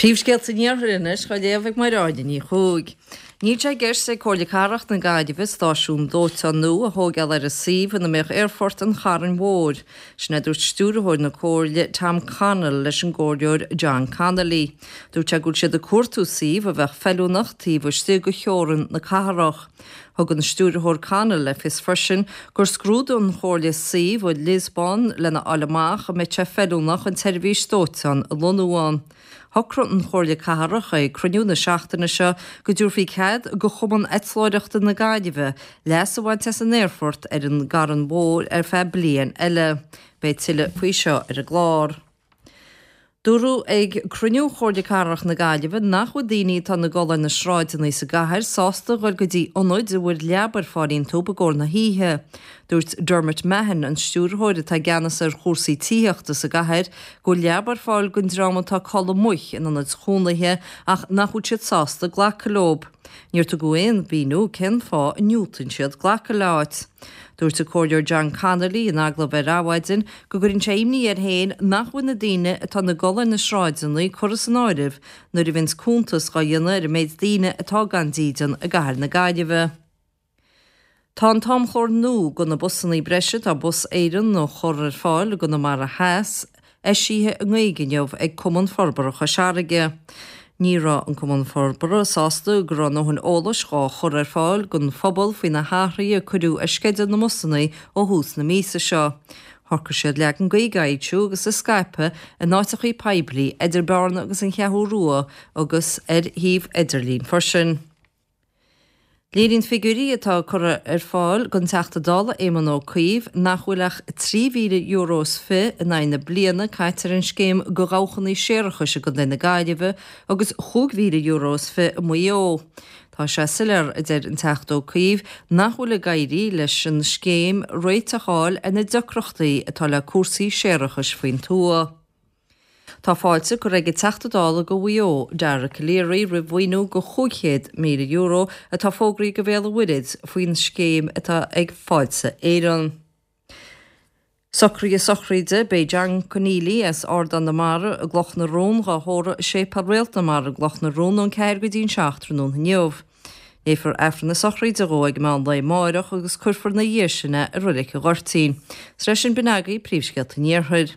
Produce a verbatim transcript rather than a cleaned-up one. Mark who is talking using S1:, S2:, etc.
S1: Príomhscéalta an Iarthair anois á léamh ag Máire Áine Ní Chuaig. Níl sé i gceist ag Comhairle Cathrach na Gaillimhe stáisiún dóiteáin nua a thógáil ar an suíomh ina mbeadh Aerfort an Chairn Mhóir. Sin a dúirt stiúrthóir na Comhairle Tom Connell leis an gcomhairleoir John Connolly. Dúirt sé go bhfuil siad ag cuartú suíomh a bheadh feiliúnach taobh istigh de theorainn na cathrach. Thug an stiúrthóir Connell le fios freisin gur scrúdaigh an Chomhairle suíomh i Lisbon lena fháil amach an mbeadh sé feiliúnach an tseirbhís dóiteáin a lonnú ann. Shocraigh an Chomhairle Cathrach ag cruinniú na seachtaine seo go dtabharfaí cead do Chumann Eitleoireachta na Gaillimhe leas a bhaint as an aerfort ar an gCarn Mhór ar feadh bliain eile. Beidh tuilleadh faoi seo ar an gclár. Dúradh ag cruinniú Chomhairle Cathrach na Gaillimhe nach bhfuil daoine atá ina gcodladh ar na sráideanna sa gcathair sásta dhul go dtí ionaid a bhfuil leaba ar fáil iontu i gcomhair na hoíche. Dúirt Dermot Mahon, an stiúrthóir atá i gceannas ar chúrsaí tithíochta sa gcathair, go bhfuil leaba ar fáil don dream atá ag codladh amuigh in ionaid chónaithe ach nach bhfuil siad sásta glacadh leo. Níor tugadh aon mhíniú cén fáth a ndiúltaíonn siad glacadh le háit. Dúirt an Comhairleoir John Connolly in agallamh ar Adhmhaidin go gcuireann sé imní air féin nach bhfuil na daoine atá ina gcodladh ar na sráideanna curtha san áireamh nuair a bhíonns cuntas á dhéanamh ar an méid daoine atá gan dídean i gcathair na Gaillimhe. Tá an t-amchlár nua do na busanna breise atá Bus Éireann a chur ar fáil i gConamara Theas eisithe i nGaeilge inniu ag Cumann Forbartha Chois Fharraige. Ní raibh an Cumann Forbartha sásta go raibh a ndóthain eolais dhá chur ar fáil don phobal faoi na hathruithe a cuireadh ar sceideal na mbusanna ó thús na míosa seo. Shocraigh siad leagan Gaeilge a fhoilsiú agus a scaipeadh in áiteachaí poiblí idir Bearna agus an Cheathrú Rua agus ar shuíomh idirlín freisin. Léiríonn figiúirí atá curtha ar fáil don Teachta Dála Éamon Ó Cuív nach bhfuil ach trí mhíle euro is fiche in aghaidh na bliana caite ar an scéim do dhabhchanna séarachais i gContae na Gaillimhe agus chúig mhíle euro is fiche i Maigh Eo. Tá sé soiléir, a deir an Teachta Ó Cuív, nach bhfuil ag éirí leis an scéim réiteach a fháil ar na deacrachtaí atá le cúrsaí séarachais faoin tuath. Tá fáilte curtha ag an Teachta Dála do Mhaigh Eo, Dara Calleary, roimh mhaoiniú de chúig chéad míle euro atá fógraithe do Bhéal an Mhuirthead faoin scéim atá ag Fáilte Éireann. Socruithe sochraide, Beidh John Conneely as Ardán na Mara i gCloch na Rón dhá thórramh i Séipéal Réalt na Mara i gCloch na Rón ón ceathair go dtí an seacht tráthnóna inniu. Léifear Aifreann na sochraide dhó ag meán lae amáireach agus cuirfear ina dhiaidh sin é i Reilig an Ghoirtín. Is leis sin b'in agaibh príomhscéalta an Iarthair.